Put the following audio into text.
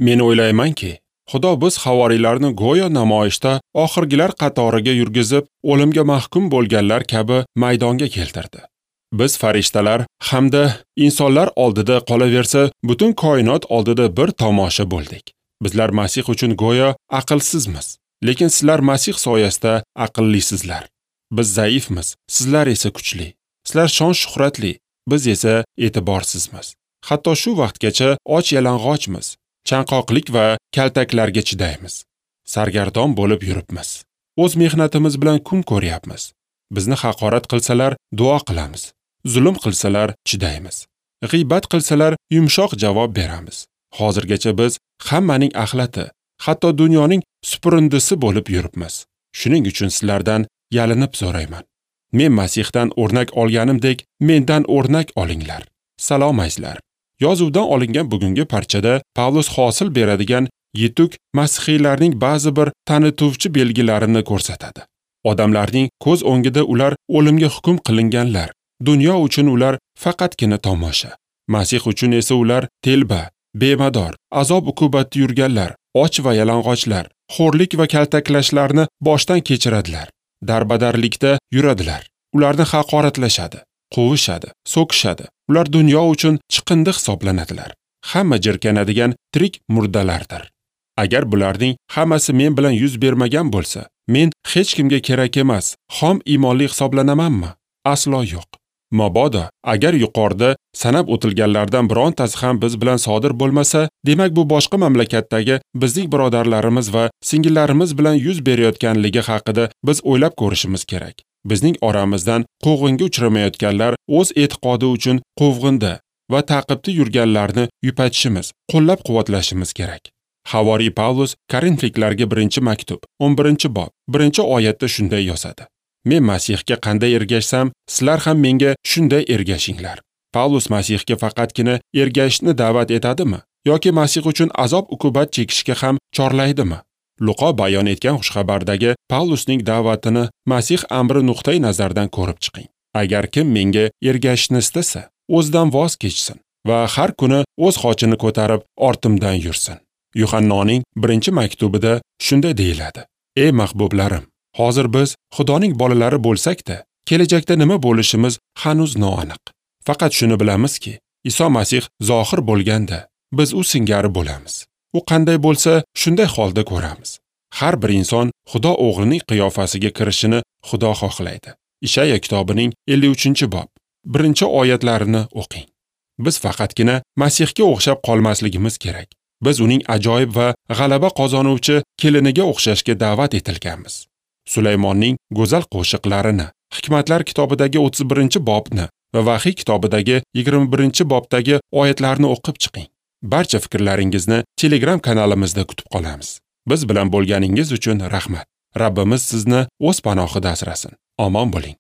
Men o'ylaymanki, Xudo biz havoriylarni go'yo namoyishda oxirgilar qatoriga yurgizib, o'limga mahkum bo'lganlar kabi maydonga keltirdi. Biz farishtalar hamda insonlar oldida qolaversa, butun koinot oldida bir tomosha bo'ldik. Bizlar Masih uchun go'yo aqlsizmiz, lekin sizlar Masih soyasida aqllisizlar. Biz zaifmiz, sizlar esa kuchli. Sizlar shon-shuhratli, biz esa e'tiborsizmiz. Hatto shu vaqtgacha och yalang'ochmiz, chanqoqlik va kaltaklarga chidaymiz. Sargardon bo'lib yuribmiz. O'z mehnatimiz bilan kun ko'ryapmiz. Bizni haqorat qilsalar duo qilamiz. Zulm qilsalar chidaymiz. G'iybat qilsalar yumshoq javob beramiz. Hozirgacha biz hammaning axlati, hatto dunyoning supurindisi bo'lib yuribmiz. Shuning uchun sizlardan yalinib so'rayman. Men Masihdan o'rnak olganimdek, mendan o'rnak olinglar. Salom azizlar. Yozuvdan olingan bugungi parchada Pavlus hosil beradigan yetuk masihiylarning ba'zi bir tanituvchi belgilarini ko'rsatadi. Odamlarning ko'z o'ngida ular o'limga hukm qilinganlar. Dunyo uchun ular faqatgina tomosha. Masih uchun esa ular telba, bemador, azob-uqubatda yurganlar, och va yalang'ochlar, xo'rlik va kaltaklashlarni boshdan kechiradilar. Darbadarlikda yuradilar. Ularni haqoratlashadi, quvishadi, so'kishadi. Ular dunyo uchun chiqindi hisoblanadilar. Hamma jirkanadigan tirik murdalardir. Agar bularning hammasi men bilan yuz bermagan bo'lsa, men hech kimga kerak emas, xom iymonli hisoblanamanmi? Aslo yo'q. Mabodo agar yuqorida sanab o'tilganlardan birontasi ham biz bilan sodir bo'lmasa, demak bu boshqa mamlakatdagi bizning birodarlarimiz va singillarimiz bilan yuz berayotganligi haqida biz o'ylab ko'rishimiz kerak. Bizning oramizdan quvg'inga uchramayotganlar o'z e'tiqodi uchun quvg'inda va ta'qibda yurganlarni yupatishimiz, qo'llab-quvvatlashimiz kerak. Havoriy Pavlus Korinfliklarga 1-maktub, 11-bob, 1-oyatda shunday yozadi: Men Masihga qanday ergashsam, sizlar ham menga shunday ergashinglar. Pavlus Masihga faqatgina ergashishni da'vat etadimi yoki Masih uchun azob-uqubat chekishga ham chorlaydimi? Luqo bayon etgan xushxabardagi Pavlusning da'vatini Masih amri nuqtai nazaridan ko'rib chiqing. Agar kim menga ergashishni istasa, o'zidan voz kechsin va har kuni o'z xochini ko'tarib ortimdan yursin. Yuhannoning 1-maktubida shunday deyiladi: Ey mahbublarim, hozir biz Xudoning bolalari bo'lsak-da, kelajakda nima bo'lishimiz hanuz noaniq. Faqat shuni bilamizki, Iso Masih zohir bo'lganda biz u singari bo'lamiz. U qanday bo'lsa, shunday holda ko'ramiz. Har bir inson Xudo o'g'lining qiyofasiga kirishini Xudo xohlaydi. Ishaya kitobining 53-bob, 1-oyatlarini o'qing. Biz faqatgina Masihga o'xshab qolmasligimiz kerak. Biz uning ajoyib va g'alaba qozonuvchi keliniga o'xshashga da'vat etilganmiz. Sulaymonning go'zal qo'shiqlarini, Hikmatlar kitobidagi 31-bobni va Vahiy kitobidagi 21-bobdagi oyatlarni o'qib chiqing. Barcha fikrlaringizni Telegram kanalimizda kutib qolamiz. Biz bilan bo'lganingiz uchun rahmat. Rabbimiz sizni o'z panohida asrasin. Omon bo'ling.